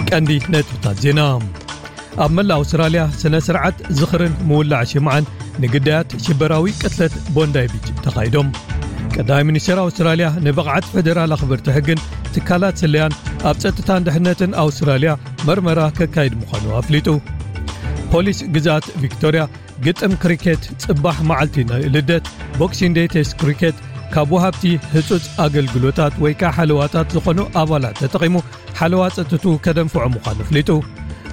ቀንዲ ነጥብታት ዜና። ኣብ መላእ ኣውስትራልያ ስነ ስርዓት ዝኽርን ምውላዕ ሽምዓን ንግዳያት ሽበራዊ ቅትለት ቦንዳይ ቢች ተኻይዶም። ቀዳማይ ሚኒስትር ኣውስትራልያ ንብቕዓት ፈደራል ኣኽበርቲ ሕግን ትካላት ስለያን ኣብ ጸጥታን ድሕነትን ኣውስትራልያ መርመራ ከካይድ ምዃኑ ኣፍሊጡ። ፖሊስ ግዝኣት ቪክቶርያ ግጥም ክሪኬት ጽባሕ መዓልቲ ናይ ልደት፣ ቦክሲንግ ዴይ ቴስት ክሪኬት፣ ካብ ወሃብቲ ህጹጽ ኣገልግሎታት ወይ ከኣ ሓለዋታት ዝኾኑ ኣባላት ተጠቒሙ ሓለዋ ጸጥትኡ ከደንፍዖ ምዃኑ ኣፍሊጡ።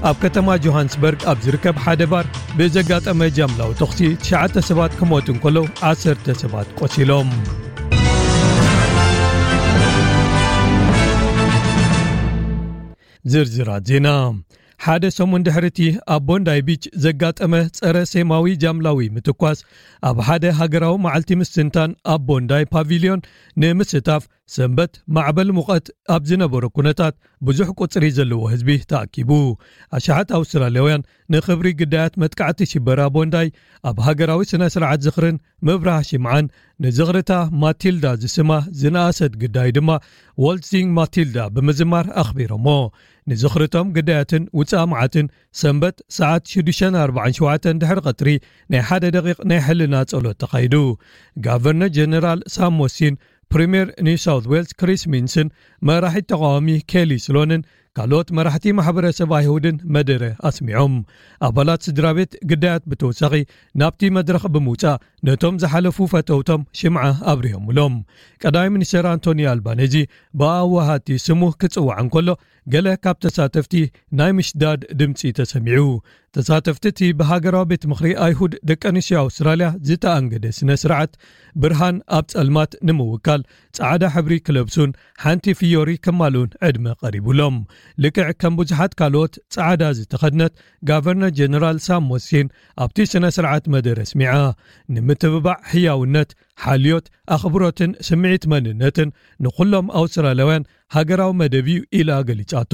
ኣብ ከተማ ጆሃንስበርግ ኣብ ዝርከብ ሓደ ባር ብዘጋጠመ ጃምላዊ ተኹሲ ትሽዓተ ሰባት ክሞቱ እንከለዉ ዓሰርተ ሰባት ቆሲሎም። ዝርዝራት ዜና። ሓደ ሰሙን ድሕሪ እቲ ኣብ ቦንዳይ ቢች ዘጋጠመ ጸረ ሴማዊ ጃምላዊ ምትኳስ፣ ኣብ ሓደ ሃገራዊ መዓልቲ ምስትንታን ኣብ ቦንዳይ ፓቪልዮን ንምስታፍ ሰንበት ማዕበል ሙቐት ኣብ ዝነበሮ ኩነታት ብዙሕ ቁጽሪ ዘለዎ ህዝቢ ተኣኪቡ። ኣሽሓት ኣውስትራልያውያን ንኽብሪ ግዳያት መጥቃዕቲ ሽበራ ቦንዳይ ኣብ ሃገራዊ ስነ ስርዓት ዝኽርን ምብራህ ሽምዓን ንዝኽርታ ማቲልዳ ዝስማ ዝነኣሰት ግዳይ ድማ ዎልትዚንግ ማቲልዳ ብምዝማር ኣኽቢሮሞ። ንዝኽርቶም ግዳያትን ውጻእ መዓትን ሰንበት ሰዓት ሽዱሽተ ኣርባዓን ሸውዓተን ድሕሪ ቀትሪ ናይ ሓደ ደቂቕ ናይ ሕልና ጸሎት ተኻይዱ። ጋቨርነር ጀነራል ሳም ሞሲን፣ ፕሪምየር ኒው ሳውት ዌልስ ክሪስ ሚንስን መራሒት ተቃዋሚ ኬሊ ስሎንን ካልኦት መራሕቲ ማሕበረሰብ ኣይሁድን መደረ ኣስሚዖም። ኣባላት ስድራ ቤት ግዳያት ብተወሳኺ ናብቲ መድረኽ ብምውጻእ ነቶም ዝሓለፉ ፈተውቶም ሽምዓ ኣብሪሆምሎም። ቀዳማይ ሚኒስትር ኣንቶኒ ኣልባኔዚ ብኣወሃቲ ስሙ ክጽዋዕ እንከሎ፣ ገለ ካብ ተሳተፍቲ ናይ ምሽዳድ ድምጺ ተሰሚዑ። ተሳተፍቲ እቲ ብሃገራዊ ቤት ምኽሪ ኣይሁድ ደቂ ኣንስትዮ ኣውስትራልያ ዝተኣንገደ ስነ ስርዓት ብርሃን ኣብ ጸልማት ንምውካል ጻዕዳ ሕብሪ ክለብሱን ሓንቲ ፍዮሪ ከማልኡን ዕድመ ቀሪቡሎም። ልክዕ ከም ብዙሓት ካልኦት ጻዕዳ ዝተኸድነት ጋቨርነር ጀነራል ሳም ሞሲን ኣብቲ ስነ ስርዓት መደረ ኣስሚዓ። ንምትብባዕ ሕያውነት፣ ሓልዮት፣ ኣኽብሮትን ስምዒት መንነትን ንኹሎም ኣውስትራልያውያን ሃገራዊ መደብ እዩ ኢላ ገሊጻቶ።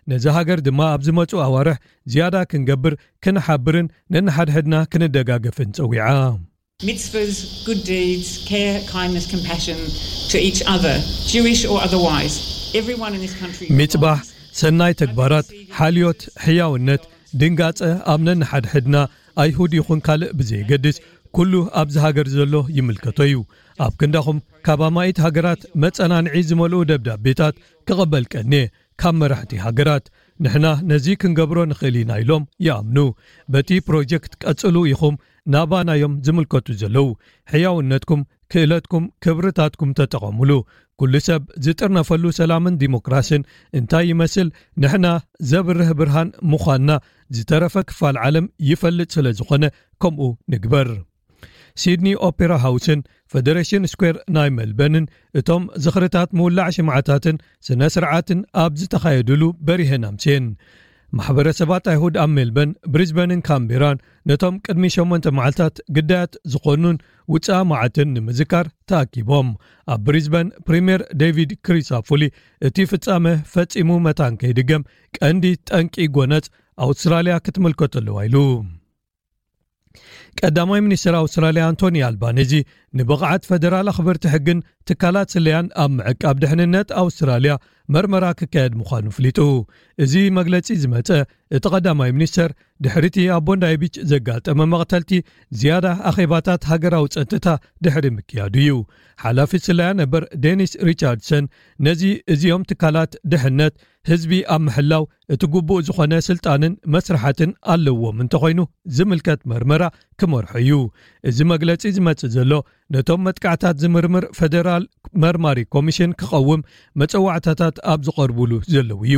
ነዚ ሃገር ድማ ኣብ ዝመጹ ኣዋርሕ ዝያዳ ክንገብር፣ ክንሓብርን ነንሓድሕድና ክንደጋገፍን ጸዊዓ። Mitzvahs, good deeds, care, kindness, compassion to each other, Jewish or otherwise. Everyone in this country. ሚጽባሕ፣ ሰናይ ተግባራት፣ ሓልዮት፣ ሕያውነት፣ ድንጋጸ ኣብ ነንሓድሕድና፣ ኣይሁድ ይኹን ካልእ ብዘየገድስ፣ ኩሉ ኣብዚ ሃገር ዘሎ ይምልከቶ እዩ። ኣብ ክንዳኹም ካብ ኣማኢት ሃገራት መጸናንዒ ዝመልኡ ደብዳቤታት ክቕበል ቀንየ፣ ካብ መራሕቲ ሃገራት። ንሕና ነዚ ክንገብሮ ንኽእል ኢና ኢሎም ይኣምኑ። በቲ ፕሮጀክት ቀጽሉ ኢኹም ናባና እዮም ዝምልከቱ ዘለዉ። ሕያውነትኩም፣ ክእለትኩም፣ ክብርታትኩም ተጠቐሙሉ። ኩሉ ሰብ ዝጥርነፈሉ ሰላምን ዲሞክራስን እንታይ ይመስል? ንሕና ዘብርህ ብርሃን ምዃንና ዝተረፈ ክፋል ዓለም ይፈልጥ ስለ ዝኾነ ከምኡ ንግበር። ሲድኒ ኦፔራ ሃውስን ፈደሬሽን ስኩዌር ናይ ሜልበንን እቶም ዝኽርታት ምውላዕ ሽምዓታትን ስነ ስርዓትን ኣብ ዝተኻየዱሉ በሪሀን ኣምስየን። ማሕበረሰባት ኣይሁድ ኣብ ሜልበን፣ ብሪዝበንን ካምቤራን ነቶም ቅድሚ ሸሞንተ መዓልታት ግዳያት ዝኾኑን ውጻእ መዓትን ንምዝካር ተኣኪቦም። ኣብ ብሪዝበን ፕሪምየር ዴቪድ ክሪሳፉሊ እቲ ፍጻመ ፈጺሙ መታን ከይድገም ቀንዲ ጠንቂ ጎነጽ ኣውስትራልያ ክትምልከቶ ኣለዋ ኢሉ። ቀዳማይ ሚኒስትር ኣውስትራልያ ኣንቶኒ ኣልባኔዚ ንብቕዓት ፈደራል ኣኽበርቲ ሕግን ትካላት ስለያን ኣብ ምዕቃብ ድሕንነት ኣውስትራልያ መርመራ ክካየድ ምዃኑ ኣፍሊጡ። እዚ መግለጺ ዝመጸ እቲ ቀዳማይ ሚኒስተር ድሕሪቲ ኣብ ቦንዳይ ቢች ዘጋጠመ መቕተልቲ ዝያዳ ኣኼባታት ሃገራዊ ጸጥታ ድሕሪ ምክያዱ እዩ። ሓላፊ ስለያ ነበር ዴኒስ ሪቻርድሰን ነዚ እዚኦም ትካላት ድሕነት ህዝቢ ኣብ ምሕላው እቲ ግቡእ ዝኾነ ስልጣንን መስርሓትን ኣለዎም እንተኾይኑ ዝምልከት መርመራ ክመርሖ እዩ። እዚ መግለጺ ዝመጽእ ዘሎ ነቶም መጥቃዕታት ዝምርምር ፈደራል መርማሪ ኮሚሽን ክቐውም መጸዋዕታታት ኣብ ዝቐርቡሉ ዘለዉ እዩ።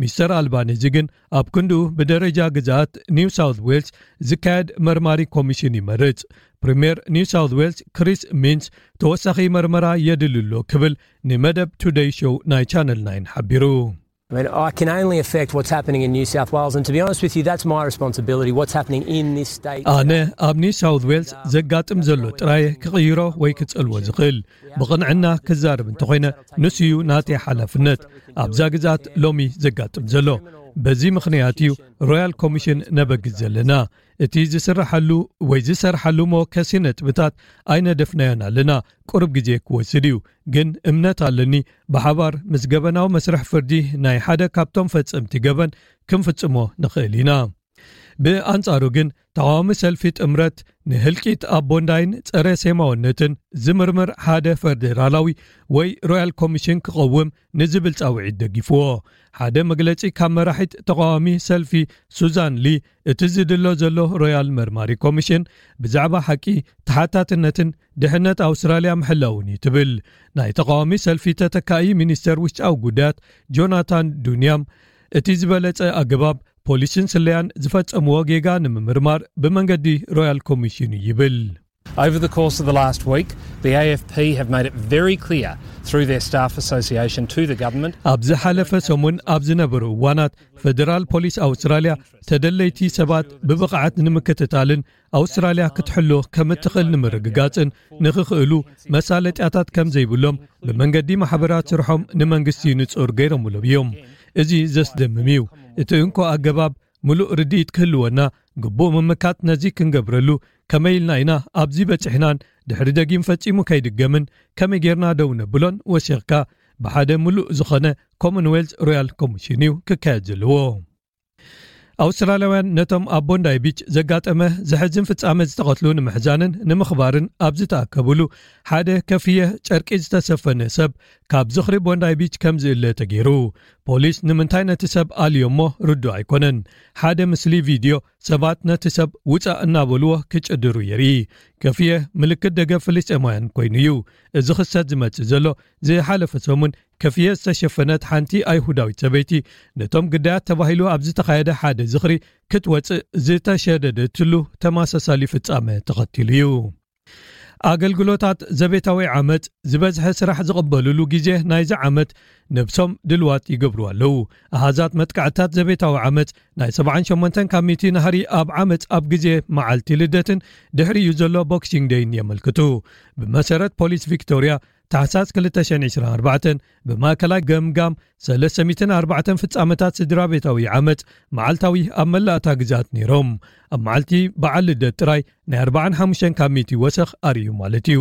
ሚስተር ኣልባኔዚ ግን ኣብ ክንድኡ ብደረጃ ግዝኣት ኒው ሳውት ዌልስ ዝካየድ መርማሪ ኮሚሽን ይመርጽ። ፕሪምየር ኒው ሳውት ዌልስ ክሪስ ሚንስ ተወሳኺ መርመራ የድሊ ኣሎ ክብል ንመደብ ቱደይ ሾው ናይ ቻነል ናይን ሓቢሩ። I mean, I can only affect what's happening in New South Wales, and to be honest with you, that's my responsibility, what's happening in this state. ኣነ ኣብ ኒው ሳውት ዌልስ ዘጋጥም ዘሎ ጥራየ ክቕይሮ ወይ ክጸልዎ ዝኽእል። ብቕንዕና ክዛረብ እንተኾይነ፣ ንሱ እዩ ናተይ ሓላፍነት ኣብዛ ግዝኣት ሎሚ ዘጋጥም ዘሎ። በዚ ምኽንያት እዩ ሮያል ኮሚሽን ነበግስ ዘለና። እቲ ዝስራሓሉ ወይ ዝሰርሓሉ መወከሲ ነጥብታት ኣይነደፍናዮን ኣለና። ቁሩብ ግዜ ክወስድ እዩ፣ ግን እምነት ኣለኒ፣ ብሓባር ምስ ገበናዊ መስርሕ ፍርዲ ናይ ሓደ ካብቶም ፈጸምቲ ገበን ክንፍጽሞ ንኽእል ኢና። ብኣንጻሩ ግን፣ ተቓዋሚ ሰልፊ ጥምረት ንህልቂት ኣብ ቦንዳይን ጸረ ሴማውነትን ዝምርምር ሓደ ፈደራላዊ ወይ ሮያል ኮሚሽን ክቐውም ንዝብል ጻውዒት ደጊፍዎ። ሓደ መግለጺ ካብ መራሒት ተቓዋሚ ሰልፊ ሱዛን ሊ፣ እቲ ዝድሎ ዘሎ ሮያል መርማሪ ኮሚሽን ብዛዕባ ሓቂ፣ ተሓታትነትን ድሕነት ኣውስትራልያ ምሕላውን እዩ ትብል። ናይ ተቓዋሚ ሰልፊ ተተካኢ ሚኒስተር ውሽጣዊ ጉዳያት ጆናታን ዱንያም፣ እቲ ዝበለጸ ኣገባብ ፖሊስን ስለያን ዝፈጸምዎ ጌጋ ንምምርማር ብመንገዲ ሮያል ኮሚሽን እዩ ይብል። Over the course of the last week, the A F P have made it very clear through their staff association to the government. ኣብ ዝሓለፈ ሰሙን ኣብ ዝነበሩ እዋናት፣ ፈደራል ፖሊስ ኣውስትራልያ ተደለይቲ ሰባት ብብቕዓት ንምክትታልን ኣውስትራልያ ክትሕሎ ከም እትኽእል ንምርግጋጽን ንኽኽእሉ፣ መሳለጥያታት ከም ዘይብሎም ብመንገዲ ማሕበራት ስርሖም ንመንግስቲ ንጹር ገይሮምሎም እዮም። እዚ ዘስደምም እዩ። እቲ እንኮ ኣገባብ፣ ምሉእ ርድኢት ክህልወና፣ ግቡእ ምምካት ነዚ ክንገብረሉ፣ ከመይ ኢልና ኢና ኣብዚ በጺሕናን ድሕሪ ደጊም ፈጺሙ ከይድገምን ከመይ ጌርና ደው ነብሎን ወሲኽካ፣ ብሓደ ምሉእ ዝኾነ ኮመንዌልዝ ሮያል ኮሚሽን እዩ ክካየድ ዘለዎ። ኣውስትራልያውያን ነቶም ኣብ ቦንዳይ ቢች ዘጋጠመ ዘሕዝን ፍጻመ ዝተቐትሉ ንምሕዛንን ንምኽባርን ኣብ ዝተኣከብሉ፣ ሓደ ከፍየ ጨርቂ ዝተሰፈነ ሰብ ካብ ዝኽሪ ቦንዳይ ቢች ከም ዝእለ ተገይሩ። ፖሊስ ንምንታይ ነቲ ሰብ ኣልዮሞ ርዱእ ኣይኮነን። ሓደ ምስሊ ቪድዮ ሰባት ነቲ ሰብ ውጻእ እናበልዎ ክጭድሩ የርኢ። ከፍየ ምልክት ደገፍ ፍልስጤማውያን ኮይኑ እዩ። እዚ ክስተት ዝመጽእ ዘሎ፣ ዝሓለፈ ሰሙን ከፍየ ዝተሸፈነት ሓንቲ ኣይሁዳዊት ሰበይቲ፣ ነቶም ግዳያት ተባሂሉ ኣብ ዝተኻየደ ሓደ ዝኽሪ ክትወጽእ ዝተሸደደትሉ ተመሳሳሊ ፍጻመ ተኸቲሉ እዩ። ኣገልግሎታት ዘቤታዊ ዓመጽ ዝበዝሐ ስራሕ ዝቕበልሉ ግዜ ናይዚ ዓመት ነብሶም ድልዋት ይገብሩ ኣለዉ። ኣሃዛት መጥቃዕታት ዘቤታዊ ዓመጽ ናይ ሰብዓን ሸሞንተን ካብ ሚእቲ ናህሪ ኣብ ዓመጽ ኣብ ግዜ መዓልቲ ልደትን ድሕሪኡ ዘሎ ቦክሲንግ ደይን የመልክቱ። ብመሰረት ፖሊስ ቪክቶርያ፣ ታሕሳስ ክልተ ሽሕን ዕስራን ኣርባዕተን ብማእከላይ ገምጋም ሰለስተ ሚእትን ኣርባዕተን ፍጻመታት ስድራ ቤታዊ ዓመጽ መዓልታዊ ኣብ መላእታ ግዛት ነይሮም። ኣብ መዓልቲ በዓል ልደት ጥራይ ናይ ኣርባዓን ሓሙሽተን ካብ ሚእቲ ወሰኽ ኣርእዩ ማለት እዩ።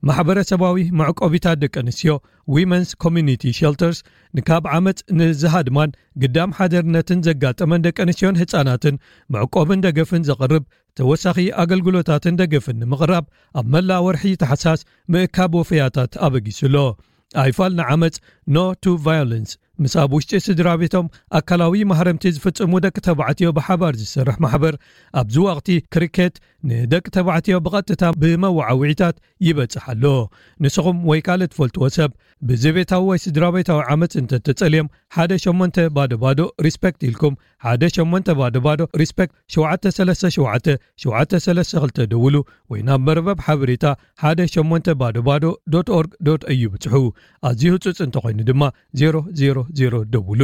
ማሕበረሰባዊ መዕቆቢታት ደቂ ኣንስትዮ፣ ዊመንስ ኮሚኒቲ ሸልተርስ፣ ንካብ ዓመጽ ንዝሃድማን ግዳም ሓደርነትን ዘጋጠመን ደቂ ኣንስትዮን ህጻናትን መዕቆብን ደገፍን ዘቕርብ ተወሳኺ ኣገልግሎታትን ደገፍን ንምቕራብ ኣብ መላእ ወርሒ ታሕሳስ ምእካብ ወፈያታት ኣበጊሱ ኣሎ። ኣይፋል ንዓመጽ፣ ኖ ቱ ቫዮለንስ፣ ምስ ኣብ ውሽጢ ስድራ ቤቶም ኣካላዊ ማህረምቲ ዝፍጽሙ ደቂ ተባዕትዮ ብሓባር ዝሰርሕ ማሕበር፣ ኣብዚ ወቕቲ ክሪኬት ንደቂ ተባዕትዮ ብቐጥታ ብመወዓውዒታት ይበጽሕ ኣሎ። ንስኹም ወይ ካልእ ትፈልጥዎ ሰብ ብዘቤታዊ ወይ ስድራ ቤታዊ ዓመጽ እንተተጸልዮም፣ ሓደ ሸሞንተ ባዶ ባዶ ሪስፔክት ኢልኩም፣ ሓደ ሸሞንተ ባዶ ባዶ ሪስፔክት ሸውዓተ ሰለስተ ሸውዓተ ሸውዓተ ሰለስተ ክልተ ደውሉ፣ ወይ ናብ መርበብ ሓበሬታ ሓደ ሸሞንተ ባዶ ባዶ ዶት ኦርግ ዶት ኤዩ ብጽሑ። ኣዝዩ ህጹጽ እንተኾይኑ ድማ ዜሮ ዜሮ ዜሮ ደውሉ።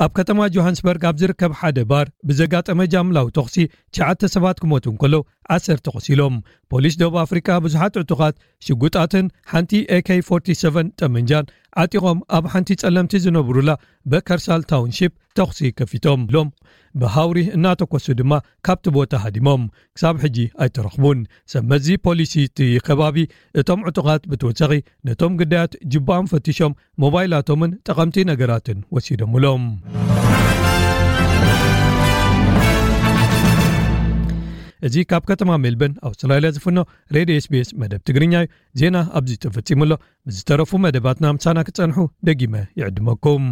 ኣብ ከተማ ጆሃንስበርግ ኣብ ዝርከብ ሓደ ባር ብዘጋጠመ ጃምላዊ ተኹሲ ትሽዓተ ሰባት ክሞቱ እንከለዉ ዓሰርተ ቆሲሎም። ፖሊስ ደቡብ ኣፍሪቃ ብዙሓት ዕጡቓት ሽጉጣትን ሓንቲ ኤ ኬ ፎርቲ ሰቨን ጠመንጃን ዓጢቖም ኣብ ሓንቲ ጸለምቲ ዝነብሩላ በከርሳል ታውንሺፕ ተኹሲ ከፊቶም ኢሎም ብሃውሪ እናተኮሱ ድማ ካብቲ ቦታ ሃዲሞም። ክሳብ ሕጂ ኣይተረኽቡን። ሰብ መዚ ፖሊሲ እቲ ከባቢ፣ እቶም ዕጡቓት ብተወሳኺ ነቶም ግዳያት ጅባኦም ፈቲሾም ሞባይላቶምን ጠቐምቲ ነገራትን ወሲዶምሎም። እዚ ካብ ከተማ ሜልበርን ኣውስትራልያ ዝፍኖ ሬድዮ ኤስ ቢ ኤስ መደብ ትግርኛ እዩ። ዜና ኣብዚ ተፈጺሙ ኣሎ። ብዝተረፉ መደባትና ምሳና ክጸንሑ ደጊመ ይዕድመኩም።